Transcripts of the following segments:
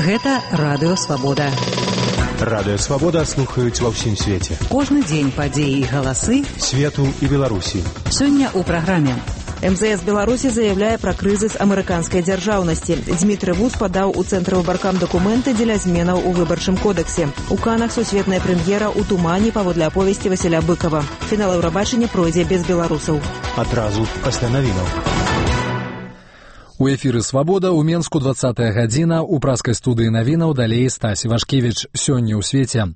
Гэта Радыё Свабода. Радыё Свабода слухаюць ва ўсім свеце. Кожны дзень падзеі і галасы свету і Беларусі. Сёння ў праграме. МЗС Беларусі заявляе пра крызіс амерыканскай дзяржаўнасці. Дзмітрый Вуц падаў у Цэнтр выбаркам дакументы дзеля зменаў у выбарчым кодексе. У Канах сусветная прэм'ера ў тумане паводле аповесці Васіля Быкова. Фінал Еўрабачання пройдзе без беларусаў. Адразу пасля навінаў. У эфіры «Свабода» ў Менску 20-я гадзіна, у праскай студыі навінаў далей Стась Івашкевіч. Сёння ў свеце.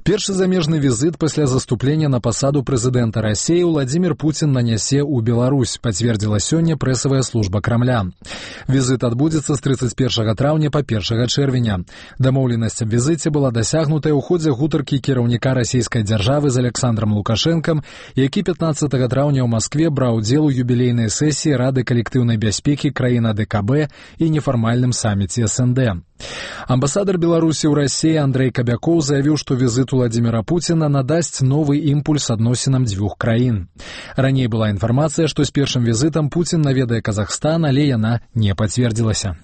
Першы замежны візит пасля заступлення на пасаду прэзідэнта Расіі Владзімір Пуцін нанясе ў Беларусь, пацвердзіла сёння прэсавая служба Крамля. Візит адбудзецца з 31 траўня па 1 чэрвеня. Дамоўленасць аб візіце была дасягнутая ў ходзе гутаркі кіраўніка расійскай дзяржавы з Александром Лукашэнкам, які 15 траўня ў Маскве браў удзел у юбілейнай сесіі Рады калектыўнай бяспекі краін ДКБ і нефармальным саміце СНД. Амбасадар Беларусі ў Расіі Андрэй Кабякоў заявіў, што візит Владзіміра Пуціна надасць новы імпульс адносінам дзвюх краін. Раней была інфармацыя, што з першым візітам Пуцін наведае Казахстан, але яна не пацвердзілася.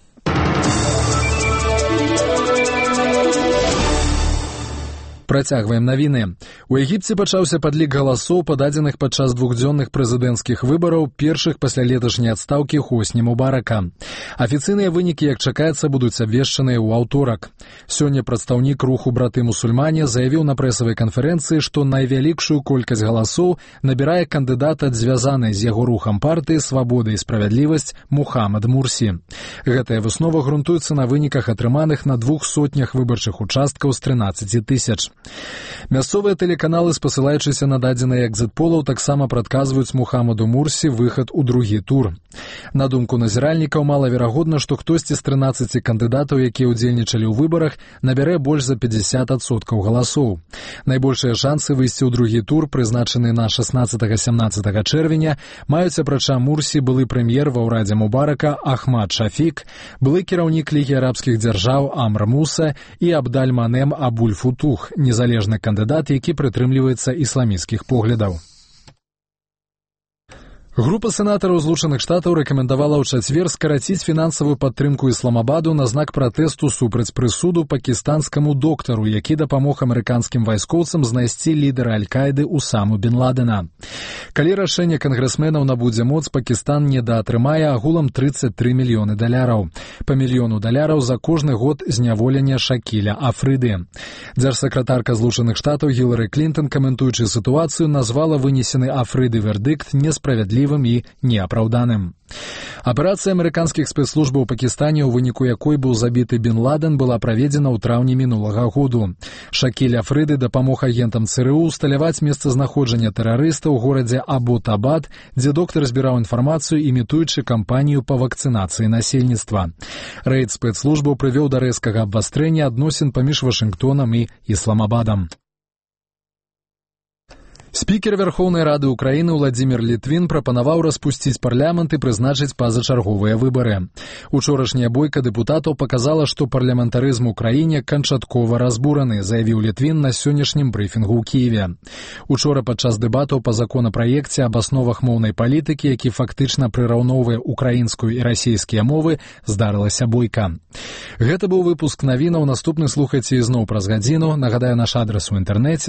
Працягваем навіны. У Егіпце пачаўся падлік галасоў, пададзеных падчас двухдзённых прэзідэнцкіх выбараў, першых пасля леташняй адстаўкі Хосні Мубарака. Афіцыйныя вынікі, як чакаецца, будуць абвешчаныя ў аўторак. Сёння прадстаўнік руху «Браты-мусульмане» заявіў на прэсавай канферэнцыі, што найвялікшую колькасць галасоў набірае кандыдат ад звязанай з яго рухам партыі «Свабода і справядлівасць» Мухаммад Мурсі. Гэтая выснова грунтуецца на выніках, атрыманых на 200 выбарчых участкаў з 13 тысяч. Мясцовыя тэлеканалы, спасылаючыся на дадзеныя экзіт-полаў, таксама прадказваюць Мухаммаду Мурсі выхад у другі тур. На думку назіральнікаў, малаверагодна, што хтосьці з 13 кандыдатаў, якія ўдзельнічалі ў выбарах, набярэ больш за 50% галасоў. Найбольшыя шансы выйсці ў другі тур, прызначаны на 16-17 чэрвеня, маюць апрача Мурсі былы прэм'ер ва ўрадзе Мубарака Ахмад Шафік, былы кіраўнік Лігі арабскіх дзяржаў Амр Муса і Абдаль-Манем Абуль-Футух, незалежны кандыдат, які прытрымліваецца ісламісцкіх поглядаў. Група сенатараў Злучаных Штатаў рэкамендавала ў чацвер скараціць фінансавую падтрымку Ісламабаду на знак пратэсту супраць прысуду пакістанскаму доктару, які дапамог амерыканскім вайскоўцам знайсці лідара Аль-Каіды Усаму бен Ладена. Калі рашэнне кангрэсменаў набудзе моц, Пакістан недаатрымае агулам $33 мільёны. Па $1 мільёну за кожны год зняволення Шакіля Афрыды. Дзяржсакратарка Злучаных Штатаў Гілары Клінтон, каментуючы сітуацыю, назвала вынесены Афрыды вердыкт несправядлівым і неапраўданым. Аперацыя амерыканскіх спецслужбаў у Пакістане, у выніку якой быў забіты бен Ладен, была праведзена ў траўні мінулага году. Шакіль Афрыды дапамог агентам ЦРУ усталяваць месцазнаходжанне тэрарыста ў горадзе Абботабад, дзе доктар збіраў інфармацыю, імітуючы кампанію па вакцынацыі насельніцтва. Рэйд спецслужбаў прывёў да рэзкага абвастрэння адносін паміж Вашынгтонам і Ісламабадам. Спікер Верхоўнай Рады Украіны Владзімір Літвін прапанаваў распусціць парламент і прызначыць пазачарговыя выбары. Учорашняя бойка дэпутатаў паказала, што парламентарызм у краіне канчаткова разбураны, заявіў Літвін на сённяшнім брыфінгу ў Кіеве. Учора падчас дэбатаў па законапраекце аб асновах моўнай палітыкі, які фактычна прыраўноўвае украінскую і расійскія мовы, здарылася бойка. Гэта быў выпуск навінаў, наступны слухайце ізноў праз гадзіну. Нагадаю, наш адрас у інтэрнэце